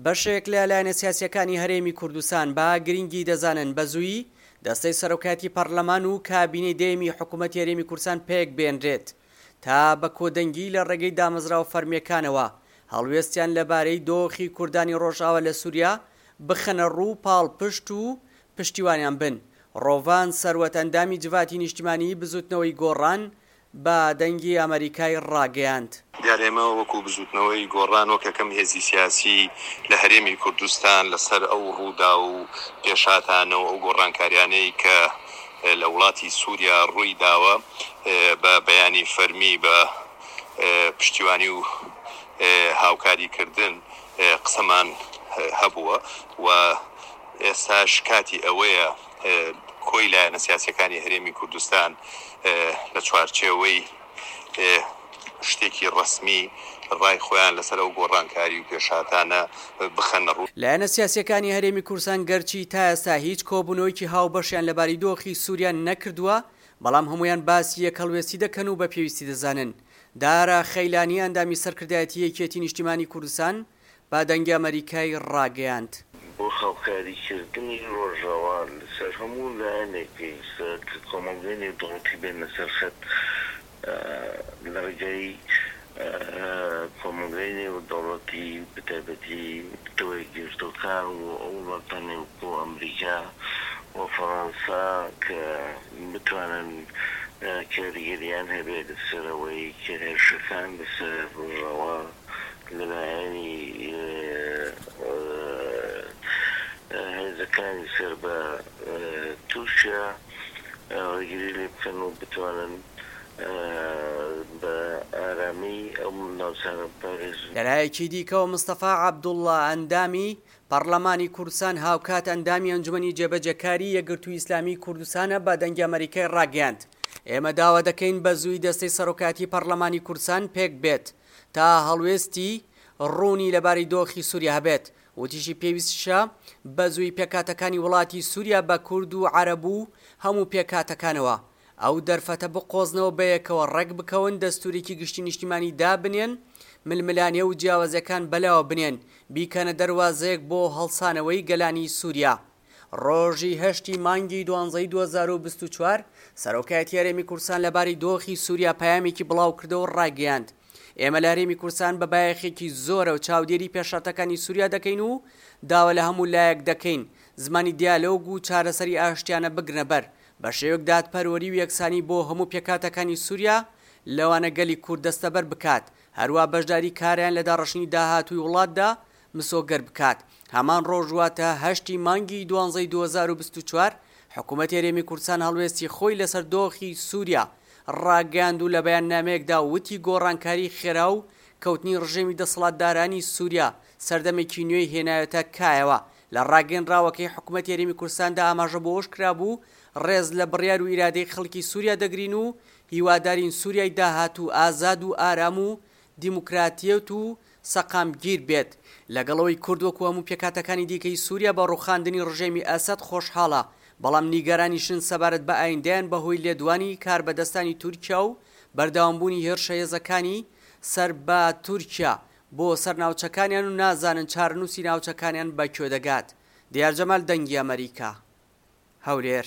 بەشێک لە لایەنە سیاسییەکانی هەرێمی کوردستان بە گرنگی دەزانن بە زوویی دەستەی سەرۆکایەتی پەرلەمان و کابینەی دەیەمی حکوومەتی هەرێمی کوردستان پێکبێنرێت تا بە کۆدەنگی لە ڕێگەی دامەزراوە فەرمییەکانەوە هەڵوێستیان لەبارەی دۆخی کوردانی ڕۆژئاوا لە سووریا بخەنە ڕوو و پاڵپشت و پشتیوانیان بن. ڕۆڤان سەروەت ئەندامی جڤاتی نیشتیمانیی بزووتنەوەی گۆڕان بە دەنگی ئەمەریکای ڕاگەیاند. دیارە ئێمە وەکو بزووتنەوەی گۆڕان وەک یەکەم هێزی سیاسی لە هەرێمی کوردستان لەسەر ئەو ڕووداو و پێشهاتانە و ئەو گۆڕانکاریانەی کە لە وڵاتی سووریا ڕووی داوە بە بەیانی فەرمی بە پشتیوانی و هاوکاری کردن قسەمان هەبووە و ئێستاش کاتی ئەوەیە کۆی لایەنە سیاسیەکانی هەرێمی کوردستان لە چوارچێوەی شتێکی ڕەسمی ڕای خۆیان لەسەر ئەو گۆڕانکاری و پێشهاتانە بخەنە ڕوو. لایەنە سیاسیەکانی هەرێمی کوردستان گەرچی تا ئێستا هیچ کۆبوونەوەیەکی هاوبەشیان لەبارەی دۆخی سوریا نەکردووە، بەڵام هەموویان باسی یەکهەڵوێستی دەکەن و بە پێویستی دەزانن. دارا خەیلانی ئەندامی سەرکردایەتی یەکێتی نیشتیمانی کوردستان بە دەنگی ئەمەریکای ڕاگەیاند. بۆ هاوکاریکردنی ڕۆژاوا لەسەر هەموو لایەنێک پێویستە کە کۆمەڵگەی نێودەوڵەتی بێنە سەر خەت لە ڕێگای کۆمەڵگەی نێودەوڵەتی بەتایبەتی نەتەوە یەکگرتووەکان و ئەو وڵاتانەی وەکو ئەمریکا و فەڕەنسا کە بتوانن کاریگەریان هەبێت لەسەر ئەوەی کە هێرشەکان لەسەر ڕۆژاوا لەلایەنی هێزەکانی سەر بە تورکیا ڕێگری لێ بکەن و بتوانن بە ئارامی ئەو ناوچانە بپارێزن. لەلایەکی دیکەوە مستەفا عەبدوڵڵا ئەندامی پەڕلەمانی کوردستان هاوکات ئەندامی ئەنجومەنی جێبەجێکاری یەکگرتووی ئیسلامیی کوردستانە بە دەنگی ئەمەریکای ڕاگەیاند ئێمە داوا دەکەین بە زووی دەستەی سەرۆکایەتی پەڕلەمانی کوردستان پێکبێت تا هەڵوێستی ڕوونی لەبارەی دۆخی سووریا هەبێت. وتیشی پێویستیشە بەزووی پێکهاتەکانی وڵاتی سووریا بە کورد و عەرەب و هەموو پێکهاتەکانەوە ئەو دەرفەتە بقۆزنەوە بەیەکەوە ڕێکبکەون دەستوورێکی گشتی نیشتیمانی دابنێن ململانێ و جیاوازیەکان بەلاوە بنێن بیکەنە دەروازەیەک بۆ هەڵسانەوەی گەلانی سووریا. ڕۆژی هەشتی مانگی دوانزەی 2024، سەرۆکایەتی هەرێمی کوردستان لەبارەی دۆخی سووریا پەیامێکی بڵاوکردەوە و ڕایگەیاند، ئێمە لە هەرێمی کوردستان بە بایەخێکی زۆرەوە چاودێری پێشهاتەکانی سووریا دەکەین و داوا لە هەموو لایەک دەکەین زمانی دیالۆگ و چارەسەری ئاشتیانە بگرنە بەر بە شێوەیەک دادپەروەری و یەکسانی بۆ هەموو پێکهاتەکانی سووریا لەوانە گەلی کورد دەستەبەر بکات هەروا بەشداری کارایان لە داڕشتنی داهاتووی وڵاتدا مسۆگەر بکات. هەمان ڕۆژ واتە هەشتی مانگی دوانزەی 2024، حکومەتی هەرێمی کوردستان هەڵوێستی خۆی لەسەر دۆخی سوریا ڕاگەیاند و لە بەیاننامەیەکدا وتی گۆڕانکاری خێرا و کەوتنی ڕژێمی دەسەڵاتدارانی سوریا سەردەمێکی نوێی هێناوێتە کایەوە. لە ڕاگەیەنراوەکەی حکومەتی هەرێمی کوردستاندا ئاماژە بۆ ئەوەش کرابوو ڕێز لە بڕیار و ئیرادەی خەڵکی سوریا دەگرین و هیوادارین سوریای داهاتوو ئازاد و ئارام و دیموکراتیەت و سەقامگیر بێت، لەگەڵ ئەوەی کورد وەکو هەموو پێکهاتەکانی دیکەی سوریا بە ڕووخاندنی ڕژێمی ئەسەد خۆشحاڵە، بەڵام نیگەرانیشن سەبارەت بە ئایندەیان بەهۆی لێدوانی کاربەدەستانی تورکیا و بەردەوامبوونی هێرشە هێزەکانی سەر بە تورکیا بۆ سەر ناوچەکانیان و نازانن چارەنووسی ناوچەکانیان بە کوێ دەگات. دیار جەمال، دەنگی ئەمەریکا، هەولێر.